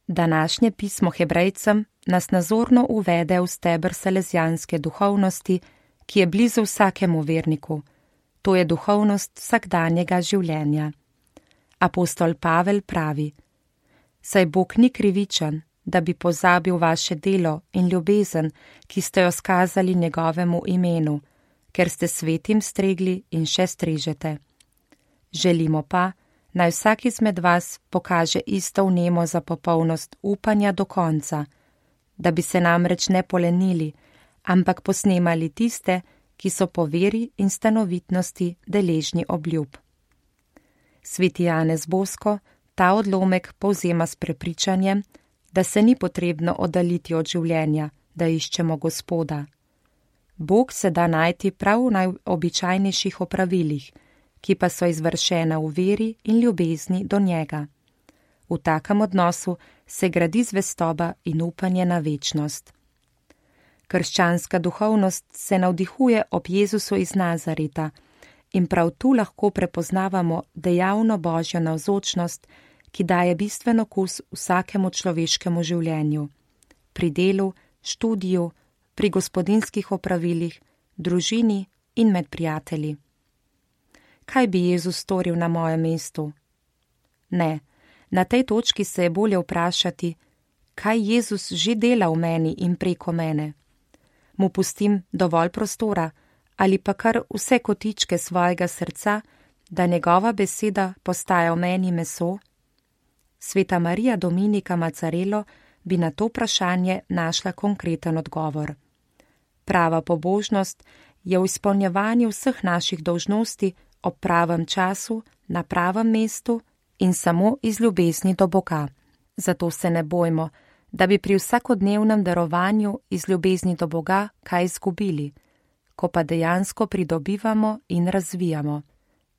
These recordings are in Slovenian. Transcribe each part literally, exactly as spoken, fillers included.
Današnje pismo Hebrejcem nas nazorno uvede v steber salezijanske duhovnosti, ki je blizu vsakemu verniku, to je duhovnost vsakdanjega življenja. Apostol Pavel pravi: Saj Bog ni krivičen, da bi pozabil vaše delo in ljubezen, ki ste jo skazali njegovemu imenu, ker ste svetim stregli in še strežete. Želimo pa, naj vsak izmed vas pokaže isto vnemo za popolnost upanja do konca, da bi se namreč ne polenili, ampak posnemali tiste, ki so po veri in stanovitnosti deležni obljub. Sveti Janez Bosko ta odlomek povzema s prepričanjem, da se ni potrebno oddaljiti od življenja, da iščemo Gospoda. Bog se da najti prav v najobičajnejših opravilih, ki pa so izvršena v veri in ljubezni do njega. V takem odnosu se gradi zvestoba in upanje na večnost. Krščanska duhovnost se navdihuje ob Jezusu iz Nazareta in prav tu lahko prepoznavamo dejavno Božjo navzočnost, ki daje bistven okus vsakemu človeškemu življenju, pri delu, študiju, pri gospodinjskih opravilih, družini in med prijatelji. Kaj bi Jezus storil na mojem mestu? Ne, na tej točki se je bolje vprašati, kaj Jezus že dela v meni in preko mene. Mu pustim dovolj prostora ali pa kar vse kotičke svojega srca, da njegova beseda postaja v meni meso? Sveta Marija Dominika Macarelo bi na to vprašanje našla konkreten odgovor. Prava pobožnost je v izpolnjevanju vseh naših dolžnosti ob pravem času, na pravem mestu in samo iz ljubezni do Boga. Zato se ne bojmo, da bi pri vsakodnevnem darovanju iz ljubezni do Boga kaj izgubili, ko pa dejansko pridobivamo in razvijamo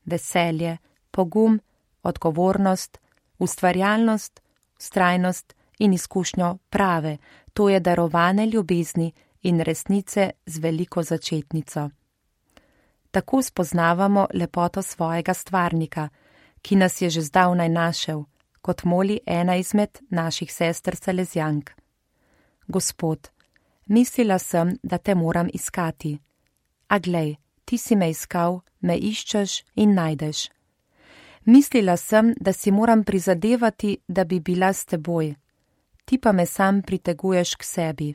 veselje, pogum, odgovornost, ustvarjalnost, vztrajnost in izkušnjo prave, to je darovane ljubezni in resnice z veliko začetnico. Tako spoznavamo lepoto svojega stvarnika, ki nas je že zdavnaj našel, kot moli ena izmed naših sester Salezijank. Gospod, mislila sem, da te moram iskati. A glej, ti si me iskal, me iščeš in najdeš. Mislila sem, da si moram prizadevati, da bi bila s teboj. Ti pa me sam priteguješ k sebi.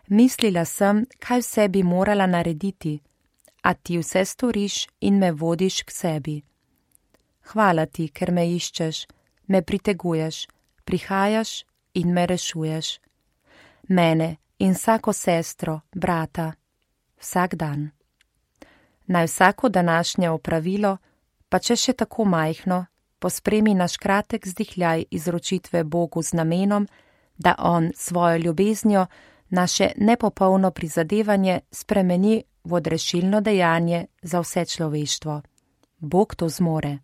Mislila sem, kaj vse bi morala narediti, a ti vse storiš in me vodiš k sebi. Hvala ti, ker me iščeš, me priteguješ, prihajaš in me rešuješ. Mene in vsako sestro, brata, vsak dan. Naj vsako današnje opravilo, pa če še tako majhno, pospremi naš kratek vzdihljaj izročitve Bogu z namenom, da on svojo ljubeznijo naše nepopolno prizadevanje spremeni v odrešilno dejanje za vse človeštvo. Bog to zmore.